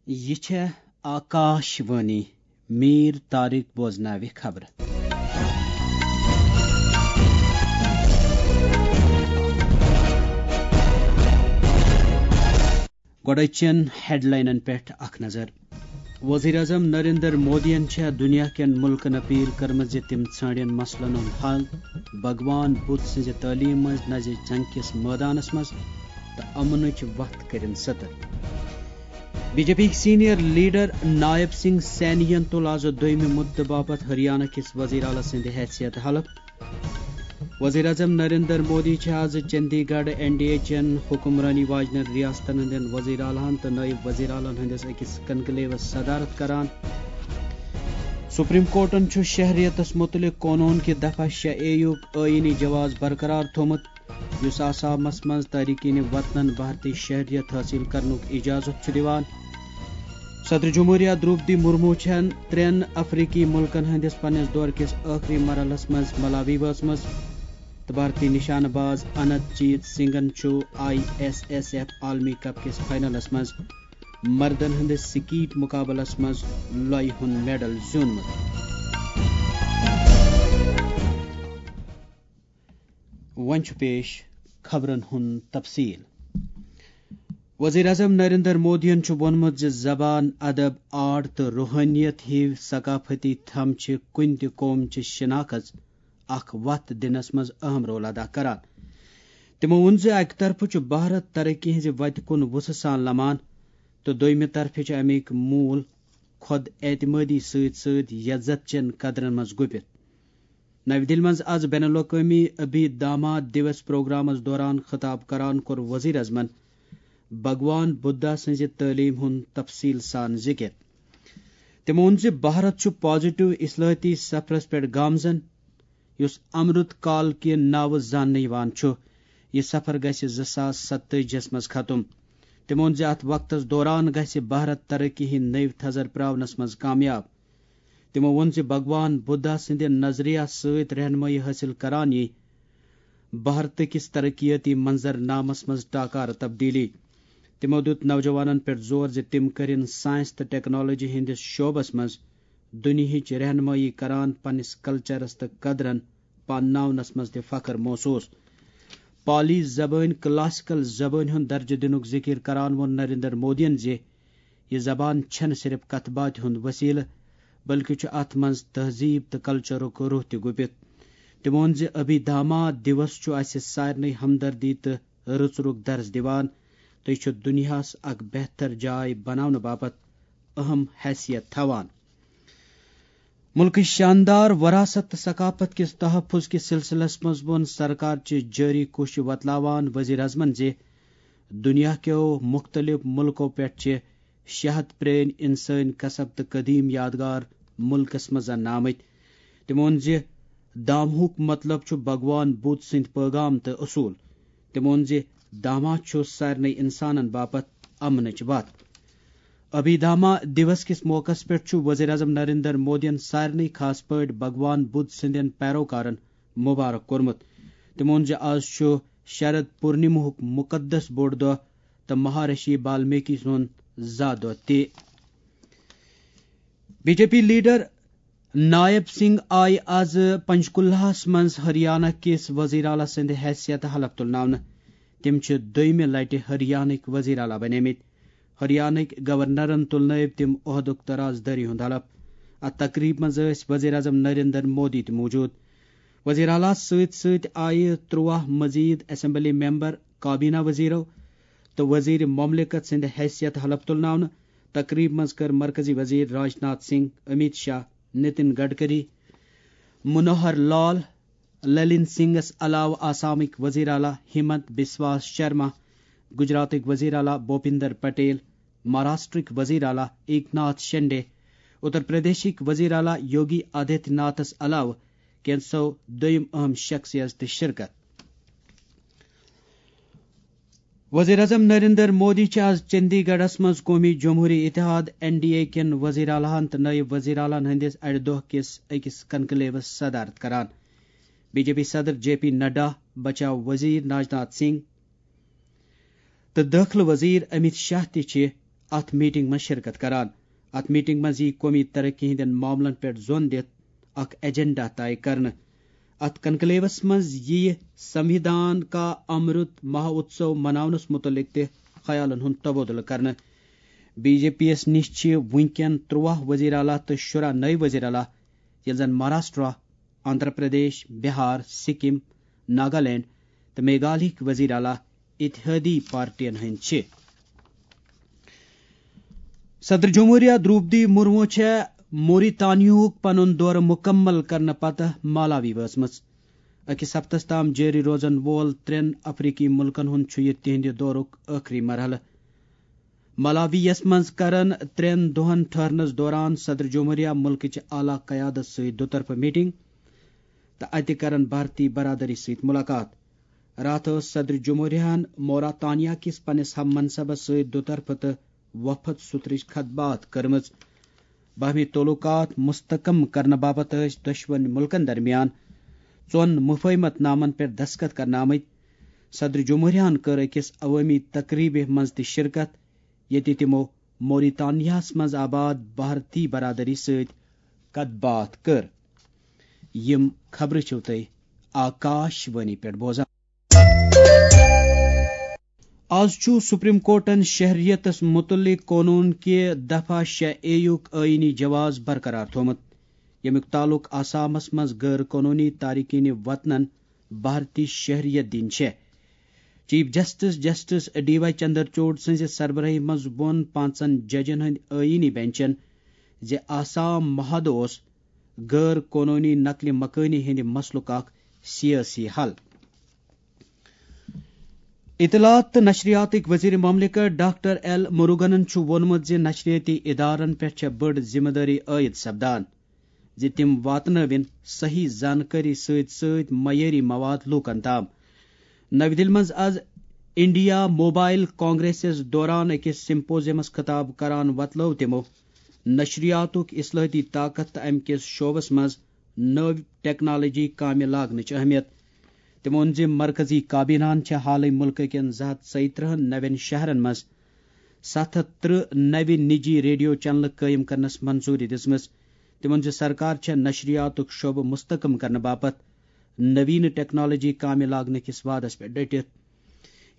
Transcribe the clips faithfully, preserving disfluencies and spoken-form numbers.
یہِ چھےٚ آکاش وانی۔ میٖر طارق بوزناوِ خبرٕ۔ گۄڈٕ چٮ۪ن ہیڈلاینن پٮ۪ٹھ اکھ نظر۔ وزیر اعظم نریندر مودیَن چھےٚ دُنیا کٮ۪ن مُلکَن اپیل کٔرمٕژ زِ تِم ژھانڈن مسلن ہُنٛد حل بھگوان بدھ سٕنٛزِ تعلیٖم منٛز نزِ جنگ کِس مٲدانَس منٛز تہٕ امنٕچ وتھ کٔرِن ستر۔ B J P senior leader Nayab Singh سینیَن تُل آز دوٚیمہِ مُدتہٕ باپتھ ہریانہ کِس وزیر اعلیٰ سٕنٛدِ حیثیت حلف۔ وزیر اعظم نریندر مودی چھِ آز چندی گڑھ این ڈی اے چٮ۪ن حکمرٲنی واجنٮ۪ن ریاستن ہٕنٛدٮ۪ن وزیر اعلیٰ ہن تہٕ نٲیِب وزیر اعلیٰ ہن ہٕنٛدِس أکِس کنکلیوس صدارت کران۔ سپریم کورٹن چھُ شہریتس مُتعلق قونوٗن کہِ دفعہ شےٚ اے یُک آئینی جواز برقرار تھوٚومُت، یُس آسامس منٛز تارکین وطنن بھارتی شہریت حٲصِل کرنُک اجازت چھُ دِوان۔ صدر جمہوریہ دروپدی مرمو چھَن ترٛٮ۪ن افریقی مُلکن ہٕنٛدِس پننِس دورٕ کِس ٲخری مرحلس منٛز ملاوی وٲژمٕژ تہٕ بھارتی نشانہٕ باز انت جیت سنگھن چھُ آئی ایس ایس ایف عالمی کپ کِس فائنلس منٛز مردن ہٕنٛدِس سکیٹ مقابلس منٛز لۄیہِ ہُنٛد میڈل زیوٗنمُت۔ وۄنۍ چھُ پیش خبرن ہُنٛد تفصیل۔ وزیر اعظم نریندر مودیَن چھُ ووٚنمُت زِ زبان، ادب، آرٹ تہٕ روحٲنیت ہِوۍ ثقافتی تھم چھِ کُنہِ تہِ قوم چہِ شناخت اکھ وتھ دِنس منٛز اہم رول ادا کران۔ تِمو ووٚن زِ اکہِ طرفہٕ چھُ بھارت ترقی ہٕنٛزِ وتہِ کُن وُژھٕ سان لمان تہٕ دوٚیمہِ طرفہٕ چھِ امیِکۍ موٗل خود اعتمٲدی سۭتۍ سۭتۍ یزت چٮ۪ن قدرن منٛز گوٚپِتھ۔ نَوِ دِلہِ منٛز آز بین الاقوٲمی ابھی دھاما دیوس پروگرامس دوران خطاب کران کوٚر وزیر اعظمن بھگوان بدھا سٕنٛزِ تعلیٖم ہُنٛد تفصیٖل سان ذِکِر۔ تٔمۍ ووٚن زِ بھارت چھُ پازیٹو اصلاحٲتی سفرس پٮ۪ٹھ گامزن، یُس امرت کال کہِ ناوٕ زاننہٕ یِوان چھُ۔ یہِ سفر گژھِ زٕ ساس ستٲجی ہَس منٛز ختم۔ تٔمۍ ووٚن زِ اتھ وقتس دوران گژھِ بھارت ترقی ہٕنٛدۍ نٔوۍ تھزر پراونس منٛز کامیاب۔ تِمو ووٚن زِ بھگوان بدھا سٕنٛدِ نظریہ سۭتۍ رہنمٲیی حٲصِل کران یی بھارتہٕ کِس ترقیٲتی منظرنامس منٛز ٹاکارٕ تبدیلی۔ تِمو دیُت نوجوانن پٮ۪ٹھ زور زِ تِم کٔرِن ساینس تہٕ ٹیکنالوجی ہٕنٛدِس شعبس منٛز دُنیہٕچ رہنمٲیی کران پننِس کلچرس تہٕ قدرن پانناونس منٛز تہِ فخر محسوس۔ پالی زبٲنۍ کلاسیکل زبٲنۍ ہُنٛد درجہٕ دِنُک ذِکِر کران ووٚن نریندر مودیَن زِ یہِ زبان چھَنہٕ صرف کتھ باتھِ ہُنٛد وسیلہٕ، بلکہِ چھُ اتھ منٛز تہذیب تہٕ کلچرُک روح تہِ گُپِتھ۔ تٔمۍ ووٚن زِ ابھی دھاما دیوس چھُ اسہِ سارنٕے ہمدردی تہٕ رٕژرُک درس دِوان تہٕ یہِ چھُ دُنیاہَس اکھ بہتر جاے بناونہٕ باپتھ اہم حیثیت تھاوان۔ مُلکٕچ شاندار وراثت تہٕ ثقافت کِس تحفظ کِس سلسلس منٛز ووٚن سرکار چہِ جٲری کوٗششہِ وۄتلاوان وزیر اعظمن زِ دُنیا کیو مُختٔلِف مُلکو پٮ۪ٹھ چھِ شےٚ ہَتھ پرٛٲنۍ اِنسٲنۍ کسب تہٕ قدیٖم یادگار مُلکس منٛز اننہٕ آمٕتۍ۔ تٔمۍ ووٚن زِ دامہُک مطلب چھُ بھگوان بُدھ سٕنٛدۍ پٲغام تہٕ اصوٗل۔ تٔمۍ ووٚن زِ دامہ چھُ سارنٕے اِنسانن باپتھ امنٕچ وتھ۔ ابھی دھاما دیوس کِس موقعس پٮ۪ٹھ چھُ وزیر اعظم نریندر مودیَن سارنٕے، خاص پٲٹھۍ بھگوان بُدھ سٕنٛدٮ۪ن پیروکارن مبارک کوٚرمُت۔ تٔمۍ ووٚن زِ آز چھُ شرد پورنمہُک مقدس بوٚڑ دۄہ تہٕ مہارشی بالمیکی سُنٛد زا دۄہ تہِ۔ B J P leader Nayab Singh آیہِ آز پنچکولہس منٛز ہریانہ کِس وزیر اعلیٰ سٕنٛدِ حیثیت حلف تُلناونہٕ۔ تِم چھِ دوٚیمہِ لٹہِ ہریانہٕکۍ وزیر اعلیٰ بنیمٕتۍ۔ ہریانہٕکۍ گورنرن تُلنٲوۍ تِم عہدُک تراز دٲری ہُنٛد حلف۔ اتھ تقریب منٛز ٲسۍ وزیر اعظم نریندر مودی تہِ موجود۔ وزیر اعلیٰ سۭتۍ سۭتۍ آیہِ ترٛواہ مزید اسمبلی ممبر، کابینہ وزیرو تہٕ وزیر مملکت سٕنٛدِ حیثیت حلف تُلناونہٕ۔ تقریب منٛز کٔر مرکزی وزیر راجناتھ سنگھ، امیت شاہ، نتن گڈکری، منوہر لال، للن سنگھس علاوٕ آسامٕکۍ وزیر اعلیٰ ہمنت بسوا شرما، گجراتٕکۍ وزیر اعلیٰ بھوپیندر پٹیل، مہاراشٹرٕکۍ وزیر اعلیٰ ایک ناتھ شنڈے، اتر پردیشٕکۍ وزیر اعلیٰ یوگی آدتیہ ناتھس علاوٕ کینٛژھو دوٚیم اہم شخصیت تہِ شرکت۔ وزیر اعظم نریندر مودی چھِ آز چندی گڑھس منٛز قومی جمہوری اتحاد، این ڈی اے، کٮ۪ن وزیر اعلیٰ ہن تہٕ نٲیِب وزیر اعلیٰ ہن ہٕنٛدِس اَڑِ دۄہ کِس أکِس کنکلیوس صدارت کران۔ بی جے پی صدر جے پی نڈا، بچاو وزیر راجناتھ سنگھ تہٕ دٲخلہٕ وزیر امیت شاہ تہِ چھِ اتھ میٹنگ منٛز شرکت کران۔ اتھ میٹنگ منٛز ییہِ قومی ترقی ہٕنٛدٮ۪ن معاملن پٮ۪ٹھ زون دِتھ اکھ ایجنڈا طے کرنہٕ۔ اتھ کنکلیوس منٛز ییہِ سنویدھان کا امرت مہوتسو مناونس متعلق تہِ خیالن ہُنٛد تبادلہٕ کرنہٕ۔ بی جے پی یَس نِش چھِ وٕنکٮ۪ن ترٛواہ وزیر اعلیٰ تہٕ شُراہ نٔوۍ وزیر اعلیٰ، ییٚلہِ زن مہاراشٹرا، آندھرا پردیش، بہار، سکم، ناگالینڈ تہٕ میگھالیہٕکۍ وزیر اعلیٰ اتحادی پارٹین ہٕنٛدۍ چھِ۔ صدر جمہوریہ دروپدی مرمو چھےٚ موریتانیہُک پنُن دورٕ مکمل کرنہٕ پتہٕ مالاوی وٲژمٕژ۔ أکِس ہفتس تام جٲری روزن وول ترٛٮ۪ن افریقی ملکن ہُنٛد چھُ یہِ تِہنٛدِ دورُک ٲخری مرحلہٕ۔ مالاوی یَس منٛز کرن ترٛٮ۪ن دۄہن ٹھہرنس دوران صدر جمہوریہ ملکٕچ اعلیٰ قیادت سۭتۍ دُطرفہٕ میٹنگ تہٕ اتہِ کرن بھارتی برادری سۭتۍ ملاقات۔ راتھ ٲس صدر جمہوریہن موراتانیا کِس پننِس ہم منصبس سۭتۍ دُطرفہٕ تہٕ وفد سترٕچ خط باتھ کٔرمٕژ۔ باہمی تعلقات مستحکم کرنہٕ باپتھ ٲسۍ دۄشوٕنۍ ملکن درمیان ژۄن مفاہمت نامن پٮ۪ٹھ دستخط کرنہٕ آمٕتۍ۔ صدر جمہوریہن کٔر أکِس عوٲمی تقریبہِ منٛز تہِ شرکت، ییٚتہِ تِمو موریتانیاہس منٛز آباد بھارتی برادری سۭتۍ کتھ باتھ کٔر۔ یِم خبرٕ چھِو تُہۍ آکاش وانی پٮ۪ٹھ بوزان۔ آز چھُ سپریم کورٹن شہریتس متعلق قونوٗن کہِ دفعہ شےٚ اے یُک آئینی جواز برقرار تھوٚومُت، ییٚمیُک تعلق آسامس منٛز غٲر قونوٗنی تارکین وطنن بھارتی شہریت دِنۍ چھےٚ۔ Chief justice justice D Y Chandrachud سٕنٛزِ سربرٲہی منٛز ووٚن پانٛژن ججن ہٕنٛدِ آئینی بینچن زِ آسام معاہدٕ اوس غٲر قونوٗنی نقل مکٲنی ہٕنٛدِ مسلُک اکھ سیٲسی حل۔ اطلاعات تہٕ نشریاتٕکۍ وزیر مملکت ڈاکٹر ایل مروگنن چھُ ووٚنمُت زِ نشریٲتی ادارن پٮ۪ٹھ چھےٚ بٔڑ ذمہٕ دٲری عائد سپدان زِ تِم واتنٲوِن صحیح زانکٲری سۭتۍ سۭتۍ معیٲری مواد لوٗکن تام۔ نَوِ دِلہِ منٛز از انڈیا موبائل کانگریسس دوران أکِس سمپوزیمس خطاب کران وۄتلٲو تِمو نشریاتُک اصلاحاتی طاقت تہٕ امہِ کِس شعبس منٛز نٔو ٹیکنالوجی کامہِ لاگنٕچ اہمیت۔ تٔمۍ ووٚن زِ مرکزی کابیناہن چھےٚ حالٕے مُلکہٕ کٮ۪ن زٕ ہَتھ ژۄیہِ ترٕٛہَن نوٮ۪ن شہرن منٛز ستھ ہَتھ ترٕٛہ نوِ نجی ریڈیو چینلہٕ قٲیِم کرنس منظوٗری دِژمٕژ۔ تٔمۍ ووٚن زِ سرکار چھےٚ نشریاتُک شعبہٕ مستحکم کرنہٕ باپتھ نویٖنہٕ ٹیکنالوجی کامہِ لاگنہٕ کِس وعدس پٮ۪ٹھ ڈٔٹِتھ،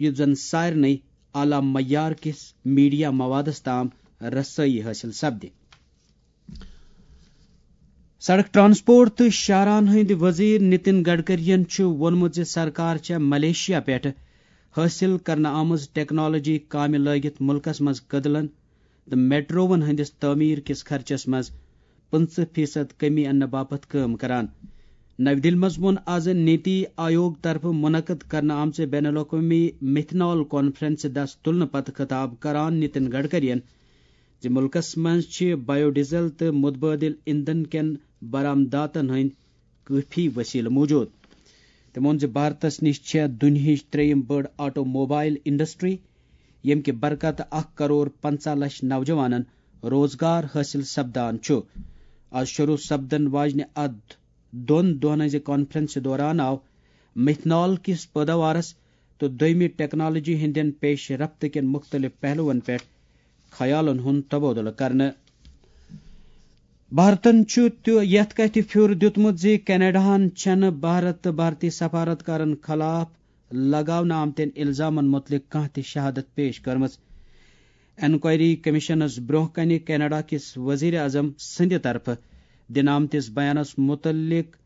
یُتھ زن سارنٕے اعلیٰ معیار کِس میڈیا موادس تام رسٲیی حٲصِل سپدِ۔ سڑک ٹرانسپورٹ تہٕ شاہراہن ہٕنٛدۍ وزیر نتن گڈکرین چھُ ووٚنمُت زِ سرکار چھےٚ ملیشیا پٮ۪ٹھ حٲصِل کرنہٕ آمٕژ ٹیکنالوجی کامہِ لٲگِتھ مُلکَس منٛز کٔدلَن تہٕ میٹرووَن ہٕنٛدِس تعمیٖر کِس خرچَس منٛز پٕنٛژٕہ فیصد کمی اَننہٕ باپتھ کٲم کران۔ نَوِ دِلہِ منٛز ووٚن آز نیتی آیوگ طرفہٕ منعقد کرنہٕ آمژِ بین الاقوٲمی میتھنال کانفرنسہِ دَس تُلنہٕ پتہٕ خطاب کران نتن گڈکرین زِ مُلکَس منٛز چھِ بایو ڈیزل تہٕ متبادل ایندھن کٮ۪ن برآمداتَن ہٕنٛدۍ کٲفی وسیلہٕ موجود۔ تٔمۍ ووٚن زِ بھارتَس نِش چھےٚ دُنیاہٕچ ترٛیٚیِم بٔڑ آٹو موبائل انڈسٹری، ییٚمہِ کہِ برکتہٕ اکھ کرور پنژاہ لچھ نوجوانَن روزگار حٲصِل سپدان چھُ۔ آز شروع سپدن واجنہِ اَتھ دۄن دۄہَن ہٕنٛزِ کانفرنسہِ دوران آو میتھنال کِس پٲداوارَس تہٕ دوٚیمہِ ٹیکنالوجی ہٕنٛدٮ۪ن پیش رفت کٮ۪ن مُختٔلِف پہلوَن پٮ۪ٹھ خیالَن ہُنٛد تبادلہٕ کرنہٕ۔ بھارتن چھُ تہِ یتھ کتھِ پھیُر دیُتمُت زِ کینیڈاہن چھنہٕ بھارت تہٕ بھارتی سفارتکارن خلاف لگاونہٕ آمتٮ۪ن الزامن مُتعلق کانٛہہ تہِ شہادت پیش کٔرمٕژ۔ انکوائری کمیشنس برونٛہہ کنہِ کینیڈا کِس وزیر اعظم سٕنٛدِ طرفہٕ دِنہٕ آمتِس بیانس مُتعلق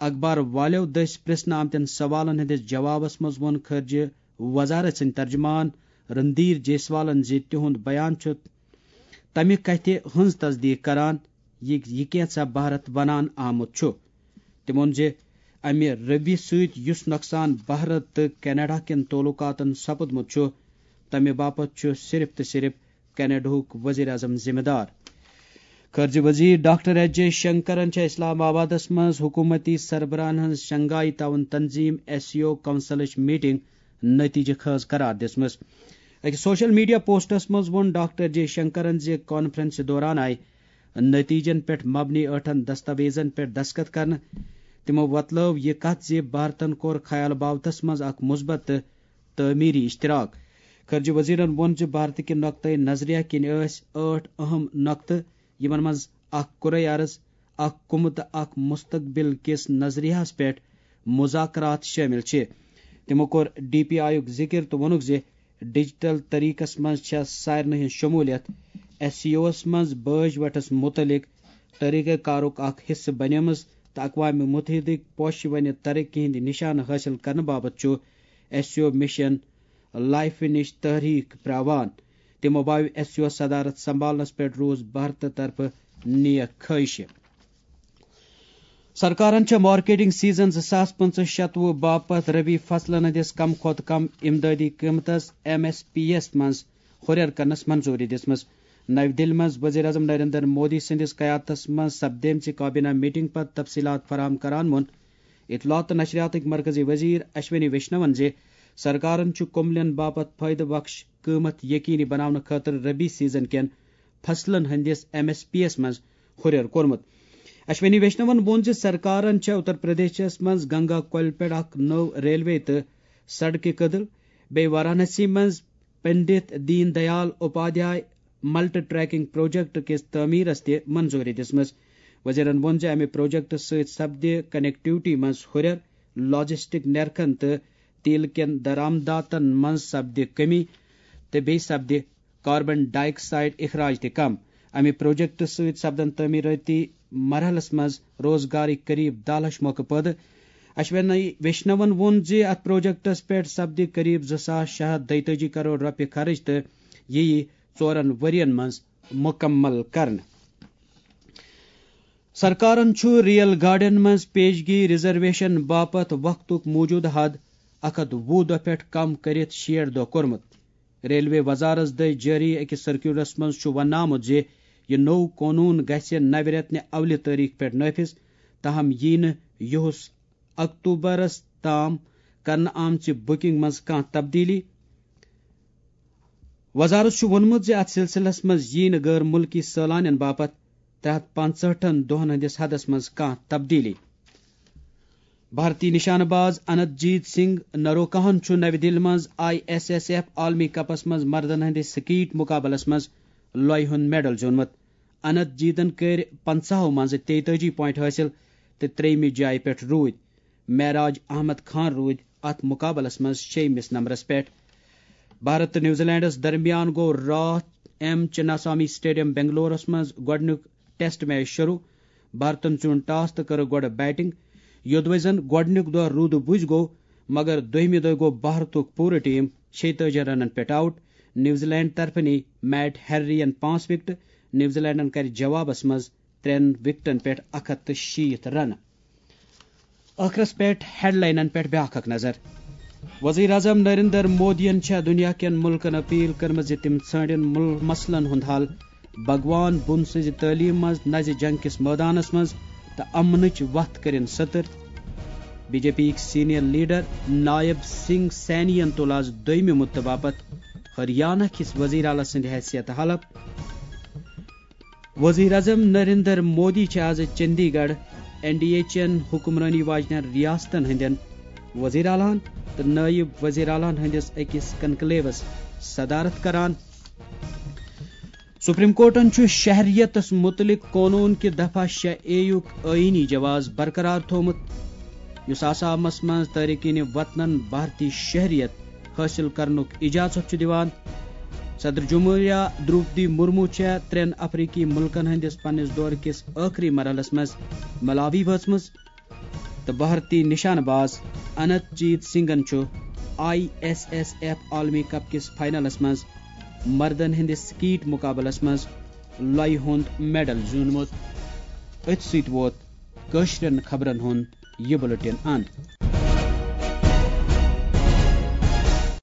اخبار والٮ۪و دٔسۍ پرژھنہٕ آمتٮ۪ن سوالن ہٕنٛدِس جوابس منٛز ووٚن خارجہ وزارت سٕنٛدۍ ترجمان رندیر جیسوالن زِ تِہُنٛد بیان چھُ تمہِ کتھِ ہٕنٛز تصدیق کران، یہِ، یہِ کینٛژھا بھارت ونان آمُت چھُ۔ تٔمۍ ووٚن زِ امہِ رویہِ سۭتۍ یُس نۄقصان بھارت تہٕ کینیڈا کٮ۪ن تعلقاتن سپُدمُت چھُ، تمہِ باپتھ چھُ صرف تہٕ صرف کینیڈاہُک وزیر اعظم ذمہ دار۔ خارجہ وزیر ڈاکٹر ایس جے شنکرن چھےٚ اسلام آبادس منٛز حکومتی سربراہن ہٕنٛز شنگھائی تعاون تنظیم ایس سی او کونسلٕچ میٹنگ نتیجہ خیز قرار دِژمٕژ۔ أکِس سوشل میڈیا پوسٹس منٛز ووٚن ڈاکٹر جے شنکرن زِ کانفرنسہِ دوران آیہِ نتیجن پٮ۪ٹھ مبنی ٲٹھن دستاویزن پٮ۪ٹھ دستخط کرنہٕ۔ تِمو وۄتلٲو یہِ کتھ زِ بھارتن کوٚر خیال باوتس منٛز اکھ مثبت تہٕ تعمیری اشتراک۔ خارجہ وزیرن ووٚن زِ بھارت کہِ نقطہ نظریہ کِنۍ ٲسۍ ٲٹھ اہم نقطہٕ، یِمن منٛز اکھ قرعہ ارض، اکھ کُمہٕ تہٕ اکھ مستقبل کِس نظریہس پٮ۪ٹھ مذاکرات شٲمِل چھِ۔ تِمو کوٚر ڈی پی آیُک ذِکِر تہٕ ووٚنُکھ زِ ڈیجیٹل طریقس منٛز چھےٚ سارنٕے ہٕنٛز شموٗلیت۔ ایس سی اوَس منٛز بٲج وٹس مُتعلق طریقہ کارُک اکھ حصہٕ بنیمٕژ تہٕ اقوام متحدٕکۍ پوشہِ ونہِ ترقی ہٕنٛدۍ نشانہٕ حٲصِل کرنہٕ باپتھ چھُ ایس سی او مشن لائفہِ نِش تحریک پراوان۔ تِمو باوِ ایس سی او صدارت سنبھالنس پٮ۪ٹھ روٗز بھارتہٕ طرفہٕ نیک خٲہشہِ۔ سرکارن چھےٚ مارکیٹنگ سیزن زٕ ساس پٕنٛژٕہ شتوُہ باپتھ ربی فصلن ہٕنٛدِس کم کھۄتہٕ کم امدادی قۭمتس، ایم ایس پی یس، منٛز ہُرٮ۪ر کرنس منظوٗری دِژمٕژ۔ نَوِ دِلہِ منٛز وزیر اعظم نریندر مودی سٕنٛدِس قیادتس منٛز سپدیمژِ کابینہ میٹنگ پتہٕ تفصیلات فراہم کران ووٚن اطلاعات تہٕ نشریاتٕکۍ مرکزی وزیر اشونی ویشنون زِ سرکارن چھُ کُملٮ۪ن باپتھ فٲیدٕ بخش قۭمتھ یقینی بناونہٕ خٲطرٕ ربی سیزن کٮ۪ن فصلن ہٕنٛدِس ایم ایس پی یس منٛز ہُرٮ۪ر کوٚرمُت۔ اشونی ویشنون ووٚن زِ سرکارن چھےٚ اتر پردیشس منٛز گنگا کۄلہِ پٮ۪ٹھ اکھ نٔو ریلوے تہٕ سڑکہِ کٔدٕل، بیٚیہِ وارانسی منٛز Pandit Deen Dayal Upadhyay multi tracking project کِس تعمیرس تہِ منظوٗری دِژمٕژ۔ وزیرن ووٚن زِ امہِ پروجیکٹ سۭتۍ سپدِ کنیکٹیوٹی منٛز ہُرٮ۪ر، لاجسٹک نرخن تہٕ تیل کٮ۪ن درآمداتن منٛز سپدِ کمی تہٕ بیٚیہِ سپدِ کاربن ڈائی آکسائیڈ اخراج تہِ کم۔ امہِ پروجیکٹ سۭتۍ سپدن تعمیرٲتی مرحلس منٛز روزگارٕکۍ قریب دَہ لچھ موقعہٕ پٲدٕ۔ اشونی ویشنون ووٚن زِ اتھ پروجیکٹس پٮ۪ٹھ سپدِ قریب زٕ ساس شےٚ ہتھ دۄیتٲجی کرور رۄپیہِ خرٕچ تہٕ یہِ یِیہِ ژورن ؤرین منٛز مُکمل کرنہٕ۔ سرکارن چھُ ریل گاڑٮ۪ن منٛز پیشگی ریزرویشن باپتھ وقتُک موٗجوٗدٕ حد اکھ ہتھ وُہ دۄہ پٮ۪ٹھ کم کٔرِتھ شیٹھ دۄہ کوٚرمُت۔ ریلوے وزارت دٔسۍ جٲری أکِس سرکیولرس منٛز چھُ وننہٕ آمُت زِ یہِ نوٚو قونوٗن گژھِ نوِ رٮ۪تہٕ اولہِ تٲریخ پٮ۪ٹھ نٲفذ، تاہم یِیہِ نہٕ یِہُس اکتوبرس تام کرنہٕ آمژِ بُکنگ منٛز کانٛہہ تبدیلی۔ وزارت چھُ ووٚنمُت زِ اتھ سلسلس منٛز یِیہِ نہٕ غٲر مُلکی سٲلانٮ۪ن باپتھ ترٛےٚ ہتھ پانٛژہٲٹھن دۄہن ہٕنٛدِس حدس منٛز کانٛہہ تبدیلی۔ بھارتی نشانہٕ باز انت جیت سنگھ نروکاہن چھُ نَوِ دِلہِ منٛز آئی ایس ایس ایف عالمی کپس منٛز مردن ہٕنٛدِ سکیٹ مقابلس منٛز لۄیہِ ہُنٛد میڈل زیوٗنمُت۔ انت جیتن کٔرۍ پنٛژاہو منٛزٕ تیتٲجی پوینٹ حٲصِل تہٕ ترٛیٚیِمہِ جایہِ پٮ۪ٹھ روٗدۍ۔ معراج احمد خان روٗدۍ اتھ مقابلس منٛز شیٚیِمِس نمبرس پٮ۪ٹھ۔ بھارت تہٕ نیوزی لینڈس درمیان گوٚو راتھ ایم چناسوامی اسٹیڈیم بنگلورس منٛز گۄڈٕنیُک ٹیسٹ میچ شروع۔ بھارتن زیوٗن ٹاس تہٕ کٔرٕکھ گۄڈٕ بیٹنگ۔ یوٚدوَے زن گۄڈٕنیُک دۄہ روٗدٕ بُزۍ گوٚو، مگر دوٚیمہِ دۄہ گوٚو بھارتُک پوٗرٕ ٹیم شیٚیہِ تٲجی رنن پٮ۪ٹھ آوٹ۔ نیوزی لینڈ طرفہٕ نی میٹ ہیررین پانٛژھ وکٹہٕ۔ نیوزی لینڈن کرِ جوابس منٛز ترٛٮ۪ن وکٹن پٮ۪ٹھ اکھ ہتھ تہٕ شیٖتھ رنہٕ۔ ٲخرس پٮ۪ٹھ ہیڈلاینن پٮ۪ٹھ بیٛاکھ اکھ نظر۔ وزیر اعظم نریندر مودیَن چھےٚ دُنیا کٮ۪ن مُلکن اپیل کٔرمٕژ زِ تِم ژھٲنٛڈن مُل-، مسلن ہُنٛد حل۔ بھگوان بُدھ سٕنٛزِ تعلیٖم منٛز نَزِ جنگ کِس مٲدانس منٛز تہٕ امنٕچ وتھ کٔرِن ستٕر۔ بی جے پی یِکۍ سینئر لیڈر نائب سنگھ سینین تُل آز دوٚیمہِ مُدتہٕ باپتھ ہریانہ کِس وزیر اعلیٰ سٕنٛدِ حیثیتہٕ حلف۔ وزیر اعظم نریندر مودی چھِ آز چندی گڑھ این ڈی اے چٮ۪ن حکمرٲنی واجنٮ۪ن ریاستن ہٕنٛدٮ۪ن وزیر اعلیٰ ہن تہٕ نٲیِب وزیر اعلیٰ ہن ہٕنٛدِس أکِس کنکلیوس صدارت کران۔ سپریم کورٹن چھُ شہریتس متعلق قونوٗن کہِ دفعہ شےٚ اے یُک آئینی جواز برقرار تھوٚومُت، یُس آسامس منٛز تارکین وطنن بھارتی شہریت حٲصِل کرنُک اجازت چھُ دِوان۔ صدر جمہوریہ دروپدی مرمو چھےٚ ترٛٮ۪ن افریقی مُلکن ہٕنٛدِس پننِس دورٕ کِس ٲخری مرحلس منٛز ملاوی وٲژمٕژ تہٕ بھارتی نشانہٕ باز انت جیت سنگھن چھُ آئی ایس ایس ایف عالمی کپ کِس فائنلس منٛز مردن ہٕنٛدِس سکیٹ مقابلس منٛز لۄیہِ ہُنٛد میڈل زیوٗنمُت۔ أتھۍ سۭتۍ ووت کٲشرٮ۪ن خبرن ہُنٛد یہِ بُلٹن اند۔